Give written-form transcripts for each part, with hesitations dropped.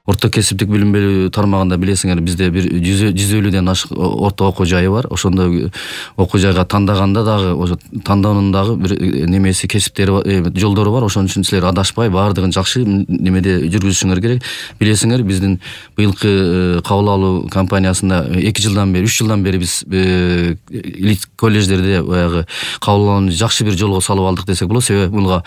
Орто кесиптик билим берүү тармагында билесиңер, бизде бир 150ден ашык орто окуу жайы бар. Ошондо окуу жайга тандаганда дагы ошо тандоонун дагы бир немеси, кесиптери, жолдору бар. Ошон үчүн силер адашпай баардыгын жакшы немеде жүргүзүшүңөр керек. Билесиңер, биздин быйылкы кабыл алуу кампаниясында 2 жылдан бери, 3 жылдан бери биз колледждерде баягы кабыл алууну жакшы бир жолго салып алдык десек болот. Себеби буга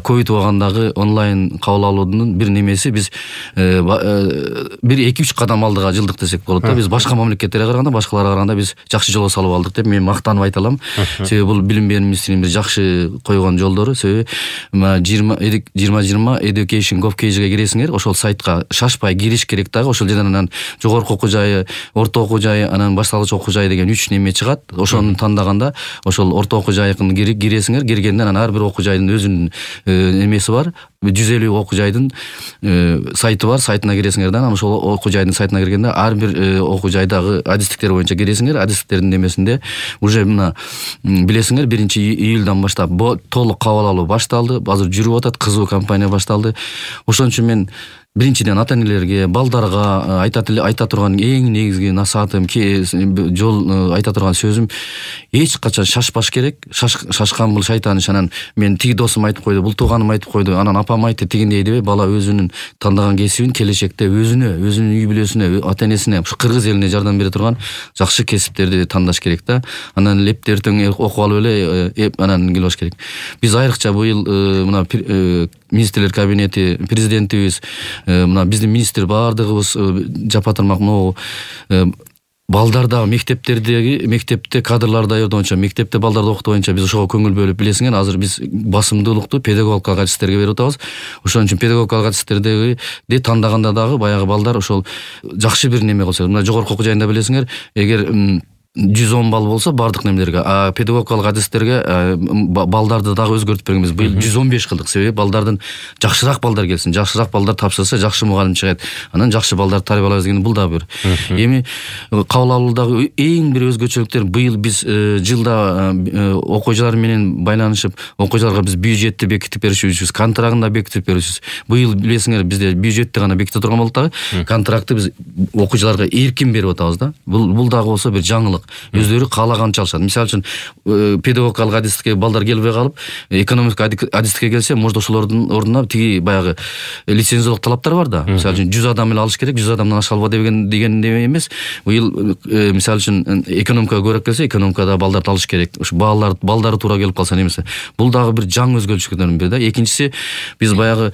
ковид убагындагы онлайн кабыл алуунун бир немеси биз бир 2-3 кадам алдыга жылдык десек болот да. Биз башка мамлекеттерге караганда, башкаларга караганда биз жакшы жолго салып алдык деп мен мактанып айта алам. Себеби бул билим берүү министринин бир жакшы койгон жолдору. Себеби 2020 Education Gov.kg'ге киресиңер, ошол сайтка шашпай кириш керек дагы. Ошол жерден анан жогорку окуу жайы, орто окуу жайы, анан башталгыч окуу жайы деген 3 неме чыгат. Ошону тандаганда ошол орто окуу жайыкын киресиңер. Киргенден анан ар бир окуу жайдын өзүнүн немеси бар. 150 окуу жайдын сайты бар. Сайтына киресиңер да, анан ошол окуу жайдын сайтына киргенде ар бир окуу жайдагы адистиктер боюнча киресиңер. Адистиктердин немесинде уже мына билесиңер 1-июлдан баштап толук кабыл алуу башталды. Азыр жүрүп атат, кызуу кампания башталды. Ошон үчүн мен биринчиден ата энелерге, балдарга айта турган эң негизги насаатым, жол айта турган сөзүм, эч качан шашпаш керек. Шашкан бул шайтан иш. Анан мен тиги досум айтып койду, бул тууганым айтып койду, анан апам айтты тигиндей дебей, бала өзүнүн тандаган кесибин келечекте өзүнүн үй бүлөсүнө, ата энесине, кыргыз элине жардам бере турган жакшы кесиптерди тандаш керек да. Анан леп эртең окуп алып эле анан келбаш керек. Биз айрыкча быйыл мына министрлер кабинети, президентибиз, мына биздин министр баардыгыбыз жапатырмак могу балдарда мектепте кадрлар даярдоо боюнча, мектепте балдарды окутуу боюнча биз ошого көңүл бөлүп, билесиңер, азыр биз басымдуулукту педагогикалык адистерге берип атабыз. Ошон үчүн педагогикалык адистерди тандаганда дагы баягы балдар ошол жакшы бир неме кылса, мына жогорку окуу жайында билесиңер, эгер 110 балл болсо бардык немелерге, педагогикалык адистерге балдарды дагы өзгөртүп бергенбиз. Быйыл 115 кылдык. Себеби балдардын жакшыраак балдар келсин, жакшыраак балдар тапшырса жакшы мугалим чыгат. Анан жакшы балдарды тарбиялайбыз деген бул дагы бир. Эми кабыл алуудагы эң бир өзгөчөлүктөр, быйыл биз жылда окуу жайлар менен байланышып, окуу жайларга биз бюджетти бекитип беришибиз, контрактын да бекитип беришибиз. Быйыл билесиңер, бизде бюджетти гана беките турган болуп дагы, контрактты биз окуу жайларга эркин берип атабыз да. Бул дагы болсо бир жаңылык. Өздөрү каалаганча алышат. Мисалы үчүн педагогикалык адистикке балдар келбей калып, экономика адистикке келсе, может ошолордун ордуна тиги баягы лицензиялык талаптар бар да. Мисалы үчүн 100 адам эле алыш керек, 100 адамдан аша алба деген эмес. Быйыл мисалы үчүн экономикага көбүрөөк келсе, экономикада балдарды алыш керек. Ошо балдары туура келип калса немесе. Бул дагы бир жаңы өзгөчөлүктөрдүн бири да. Экинчиси, биз баягы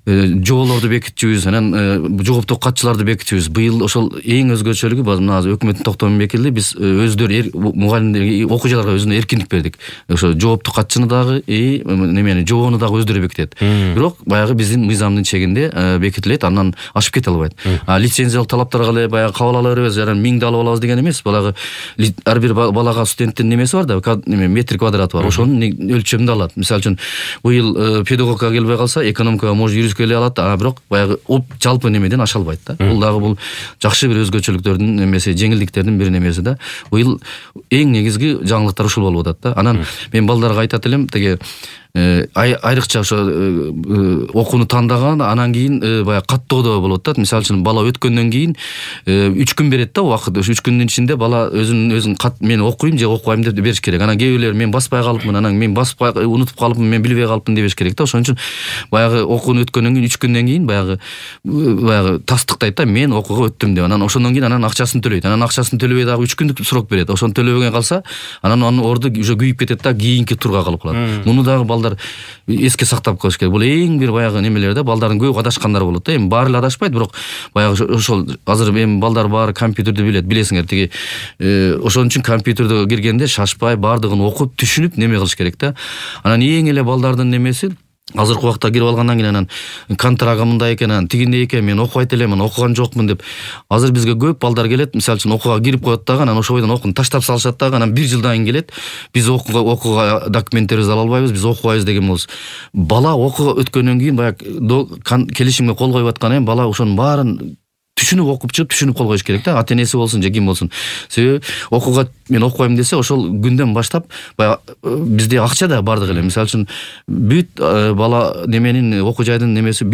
жоолорду бекитүүбүз, анан жооптук катчыларды бекитүүбүз. Быйыл ошол эң өзгөчөлүгү мына өкмөттүн токтому бекитилди. Биз өздөрү мугалимдерге, окуу жайларга өзүнө эркиндик бердик. Ошо жооптук катчыны дагы немени жобону дагы өздөрү бекитет. Бирок баягы биздин мыйзамдын чегинде бекитилет, андан ашып кете албайт. Лицензиялык талаптарга эле баягы кабыл ала беребиз, анан 1000 алып алабыз деген эмес. Балага ар бир балага студенттин немеси бар да, метр квадраты бар. Ошонун өлчөмүндө алат. Мисалы үчүн быйыл педагогикага келбей калса, экономикага может келе алат, бирок баягы жалпы немеден аша албайт да. Бул дагы бул жакшы бир өзгөчөлүктөрдүн немеси, жеңилдиктердин бир немеси да. Быйыл эң негизги жаңылыктар ушул болуп атат да. Анан мен балдарга айтат элем, теге айрыкча ошо окууну тандаган, анан кийин баягы каттоодо болот да. Мисалы үчүн бала өткөндөн кийин 3 күн берет да убакыт. Ошо 3 күндүн ичинде бала өзүн мен окуйм же окубайм деп бериш керек. Анан кээ бирлер мен баспай калыпмын, анан мен баспай унутуп калыпмын, мен билбей калыпмын дебеш керек да. Ошон үчүн баягы окууну өткөндөн кийин 3 күндөн кийин баягы тастыктайт да, мен окууга өттүм деп. Анан ошондон кийин анан акчасын төлөйт. Анан акчасын төлөбөй дагы 3 күндүк срок берет. Ошону төлөбөгөн калса, анан анын орду уже күйүп кетет да, кийинки турга калып калат. Муну дагы балдар эске сактап коюш керек. Бул эң бир баягы немелер да, балдардын көп адашкандары болот да. Эми баары эле адашпайт, бирок баягы ошол азыр эми балдар баары компьютерди билет, билесиңер, тиги ошон үчүн компьютерге киргенде шашпай баардыгын окуп, түшүнүп неме кылыш керек да. Анан эң эле балдардын немеси, азыркы убакта кирип алгандан кийин анан контрагы мындай экен, анан тигиндей экен, мен окубайт элем, анан окуган жокмун деп. Азыр бизге көп балдар келет, мисалы үчүн окууга кирип коет дагы, анан ошо бойдон окууну таштап салышат дагы, анан 1 жылдан кийин келет, биз окууга документтерибизди ала албайбыз, биз окубайбыз деген болобуз. Бала окууга өткөндөн кийин баягы келишимге кол коюп аткан бала ошонун баарын түшүнүп окуп чыгып түшүнүп кол коюш керек да, ата энеси болсун же ким болсун. Себеби окууга мен окубайм десе ошол күндөн баштап баягы бизде акча да бардык эле. Мисалы үчүн бүт бала неменин окуу жайдын немеси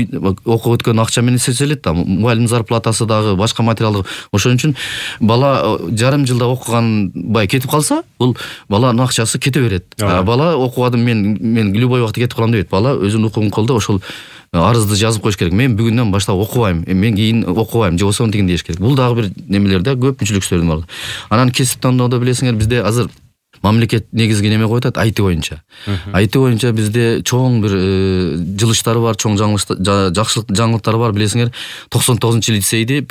окуп өткөн акча менен эсептелет да, мугалим зарплатасы дагы башка материалдык. Ошон үчүн бала жарым жылда окуган бай кетип калса, бул баланын акчасы кете берет. Бала окугадым мен любой убакта кетип калам дебейт. Бала өзүнүн укугун колдо ошол арызды жазып коюш керек. Мен бүгүндөн баштап окубайм, мен кийин окубайм же болбосо тигин деш керек. Бул дагы бир немелерде көп мүмкүнчүлүктөрдүн бар. Анан кесип тандоодо билесиңер, бизде азыр мамлекет негизги неме коюп атат, IT боюнча. IT боюнча бизде чоң бир жылыштары бар, чоң жаңылыктары бар. Билесиңер, 99 лицейди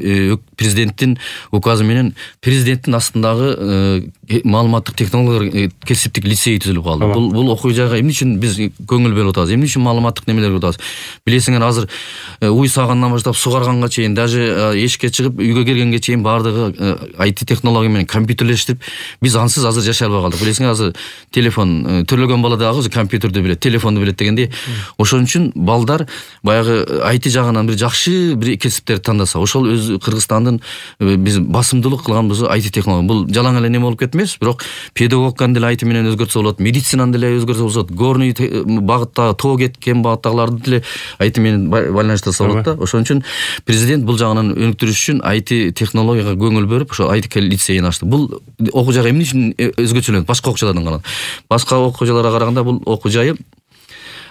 президенттин указы менен президенттин астындагы маалыматтык технологиялар кесиптик лицей түзүлүп калды. Бул окуу жайга эмне үчүн биз көңүл бөлүп атабыз? Эмне үчүн маалыматтык немелер көрүп атабыз? Билесиңер, азыр уй сагандан баштап сугарганга чейин, даже эшикке чыгып үйгө келгенге чейин баардыгы IT технология менен компьютерлештирип, биз ансыз азыр жашай албай калдык. Билесиңер, азыр телефон төрөлгөн бала дагы компьютерди билет, телефонду билет дегендей. Ошон үчүн балдар баягы IT жагынан бир жакшы бир кесиптерди тандаса, ошол өз Кыргызстандын биз басымдуулук кылганбыз IT технология. Бул жалаң эле неме болуп кетмес, бирок педагогиканы деле IT менен өзгөртсө болот, медицинаны деле өзгөртсө болот, горный багытта, тоо кеткен багыттагыларды деле IT менен байланыштырса болот да. Ошон үчүн президент бул жагынан өнүктүрүш үчүн IT технологияга көңүл бөрүп, ошо IT лицейин ачты. Бул окуу жайга эмне үчүн өзгөчөлөнөт башка окуу жайлардан караганда? Башка окуу жайларга караганда бул окуу жайы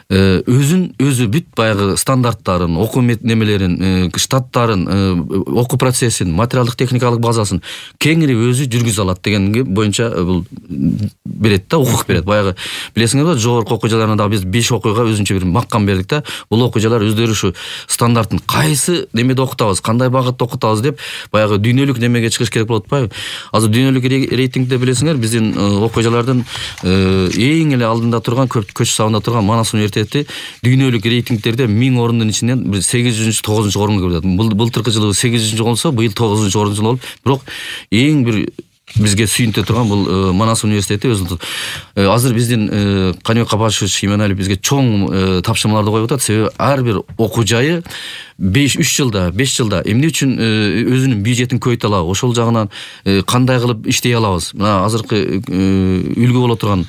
өзү бүт баягы стандарттарын, окуу немелерин, штаттарын, окуу процессин, материалдык техникалык базасын кеңири өзү жүргүзө алат дегенге боюнча бул берет да, укук берет. Баягы билесиңерби, жогорку окуу жайларына да биз 5 окууга өзүнчө бир маккам бердик да. Бул окуу жайлар өздөрү ушу стандартын кайсы немеде окутабыз, кандай багытта окутабыз деп баягы дүйнөлүк немеге чыгыш керек болуп атпайбы? Азыр дүйнөлүк рейтингде билесиңер, биздин окуу жайлардын эң эле алдында турган, көч сабында турган Манас университети дүйнөлүк рейтингтерде 1000 орындын ичинен 8-9 орунга кирди. Былтыркы жылы 8 болсо, быйыл 9 орун болуп, бирок эң бир бизге сүйүнтө турган бул Манас университети өзү. Азыр биздин Каныбек Капашевич Иманалиев бизге чоң тапшырмаларды коюп атат. Себеби ар бир окуу жайы 5 жылда эмне үчүн өзүнүн бюджетин көбөйтө алабы? Ошол жагынан кандай кылып иштей алабыз? Мына азыркы үлгү боло турган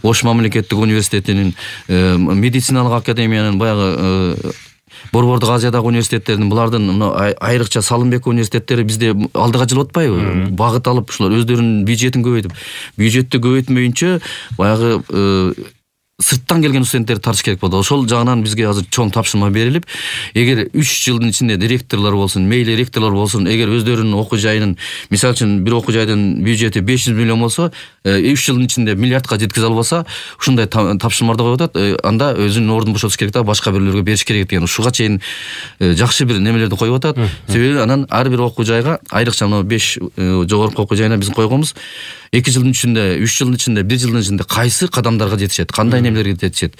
Ош мамлекеттик университетинин, медициналык академиянын, баягы Борбордук Азиядагы университеттердин, булардын айрыкча Салымбек университеттери бизде алдыга жылып атпайбы? Багыт алып, ушулар өздөрүнүн бюджетин көбөйтүп, бюджетти көбөйтмөйүнчө баягы сырттан келген студенттерди тартыш керек болду. Ошол жагынан бизге азыр чоң тапшырма берилип, эгер 3 жылдын ичинде директорлор болсун, мейли ректорлор болсун, эгер өздөрүнүн окуу жайынын, мисалы үчүн бир окуу жайдын бюджети 500 миллион болсо, 3 жылдын ичинде миллиардка жеткизе албаса, ушундай тапшырмаларды коюп атат. Анда өзүнүн ордун бошотуш керек да, башка бирлерге бериш керек деген. Ушуга чейин жакшы бир немелерди коюп атат. Себеби анан ар бир окуу жайга, айрыкча мына 5 жогорку окуу жайына биз койгонбуз, 2 жылдын ичинде, 3 жылдын ичинде, 1 жылдын ичинде кайсы кадамдарга жетишет, кандай немелерге жетишет.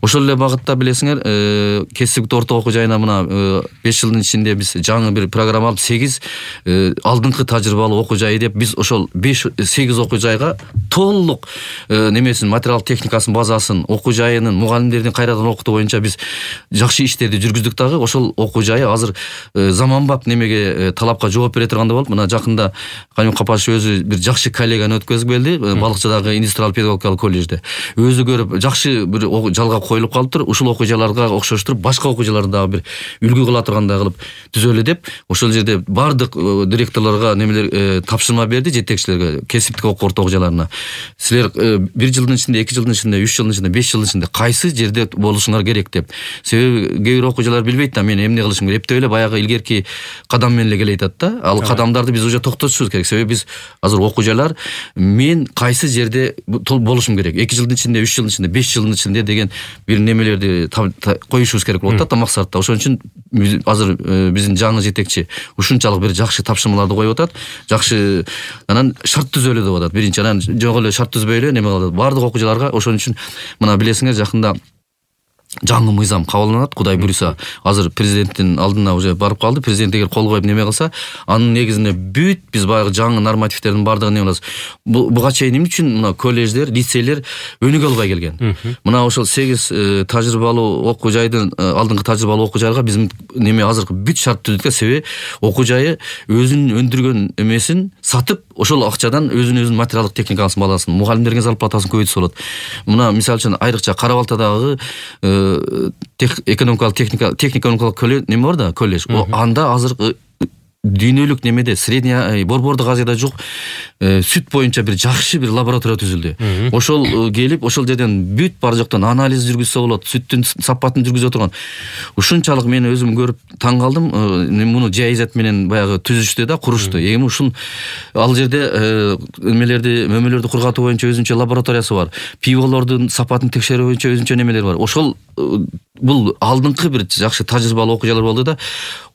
Ошол эле багытта билесиңер, кесиптик орто окуу жайына мына 5 жылдын ичинде биз жаңы бир программа алып, 8 алдыңкы тажрыйбалуу окуу жайы деп биз ошол 5-8 окуу жайга толук немесин, материал техникасын, базасын, окуу жайынын, мугалимдердин кайрадан окутуу боюнча биз жакшы иштерди жүргүздүк дагы. Ошол окуу жайы азыр заманбап немеге, талапка жооп бере тургандай болуп. Мына жакында Каныбек Капашев өзү бир жакшы коллеганы өткөзүп келди, Балыкчыдагы индустриал педагогикалык коллежде. Өзү көрүп жакшы бир жалга коюлуп калыптыр. Ушул окуу жайларга окшоштуруп, башка окуу жайларды дагы бир үлгү кыла тургандай кылып түзөлү деп, ошол жерде бардык директорлорго немелер тапшырма берди, жетекчилерге, кесиптик орто окуу жайларына. Силер 1 жылдын ичинде, 2 жылдын ичинде, 3 жылдын ичинде, 5 жылдын ичинде кайсы жерде болушуңар керек деп. Себеби кээ бир окуу жайлар билбейт да, мен эмне кылышым керек деп эле баягы илгерки кадам менен эле келе атат да. Ал кадамдарды биз уже токтотушубуз керек. Себеби биз азыр окуу жайлар мен кайсы жерде болушум керек, 2 жылдын ичинде, 3 жылдын ичинде, 5 жылдын ичинде деген бир немелерди коюшубуз керек болуп атат да, максатта. Ошон үчүн азыр биздин жаңы жетекчи ушунчалык бир жакшы тапшырмаларды коюп атат. Жакшы анан шарт түзөлү деп атат. Биринчи анан жок эле шарт түзбөй эле неме кылат. Бардык окуу жайларга. Ошон үчүн мына билесиңер, жакында жаңы мыйзам кабылданат. Кудай буйруса, азыр президенттин алдына уже барып калды. Президент эгер кол коюп неме кылса, анын негизинде бүт биз баягы жаңы нормативтердин бардыгын неме кылабыз. Буга чейин эмне үчүн мына колледждер, лицейлер өнүгө албай келген? Мына ошол 8 тажрыйбалуу окуу жайдын алдыңкы тажрыйбалуу окуу жайга биз неме азыркы бүт шарт түздүк. Себеби окуу жайы өзүнүн өндүргөн эмесин сатып, ошол акчадан өзүнүн материалдык техникасын баласын, мугалимдерге зарплатасын көбөйтсө болот. Мына мисалы үчүн айрыкча Кара Балтадагы техника экономикалык колледж неме бар да, колледж. Анда азыр дүйнөлүк немеде средняя Борбордук Азияда жок сүт боюнча бир жакшы бир лаборатория түзүлдү. Ошол келип, ошол жерден бүт бар жоктон анализ жүргүзсө болот, сүттүн сапатын жүргүзө турган. Ушунчалык мен өзүм көрүп таң калдым. Муну жайзат менен баягы түзүштү да, курушту. Эми ушун ал жерде мөмөлөрдү кургатуу боюнча өзүнчө лабораториясы бар. Пиволордун сапатын текшерүү боюнча өзүнчө немелер бар. Ошол бул алдыңкы бир жакшы тажрыйбалуу окуу жайлар болду да,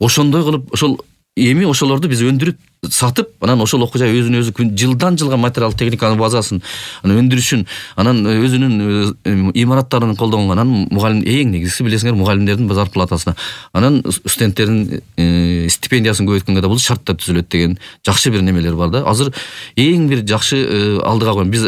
ошондой кылып ошол эми ошолорду биз өндүрүп сатып, анан ошол окуу жай өзүнө өзү жылдан жылга материал техниканын базасын өндүрүшүн, анан өзүнүн имараттарын колдонгон, анан мугалим эң негизгиси билесиңер мугалимдердин зарплатасына, анан студенттердин стипендиясын көбөйткөнгө да бул шарттар түзүлөт деген жакшы бир немелер бар да. Азыр эң бир жакшы алдыга койгон. Биз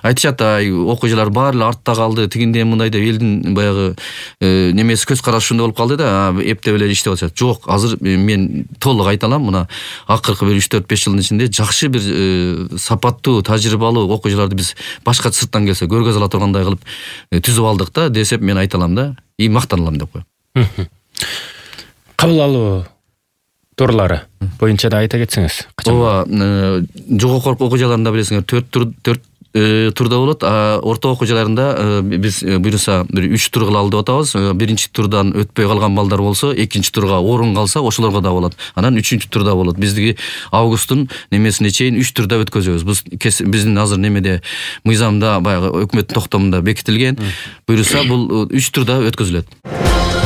айтышат, окуу жайлар баары эле артта калды, тигиндей мындай деп элдин баягы немеси көз карашы ушундай болуп калды да, эптеп эле иштеп атышат. Жок, азыр мен толук айта алам, мына акыркы бир 3-4-5 жылдын ичинде жакшы бир сапаттуу, тажрыйбалуу окуу жайларды биз башка сырттан келсе көргөзө ала тургандай кылып түзүп алдык да, десеп мен айта алам да, и мактаналам деп коем. Кабыл алуу турлары боюнча да айта кетсеңиз. Ооба, жогорку окуу жайларында билесиңер 4 турда болот. Орто окуу жайларында биз буйруса бир 3 тур кыла алып атабыз. Биринчи турдан өтпөй калган балдар болсо, экинчи турга орун калса, ошолорго да болот. Анан үчүнчү турда болот. Биздики августтун немесине чейин 3 турда өткөзөбүз. Биздин азыр немеде мыйзамда баягы өкмөттүн токтомунда бекитилген. Буйруса бул 3 турда өткөзүлөт.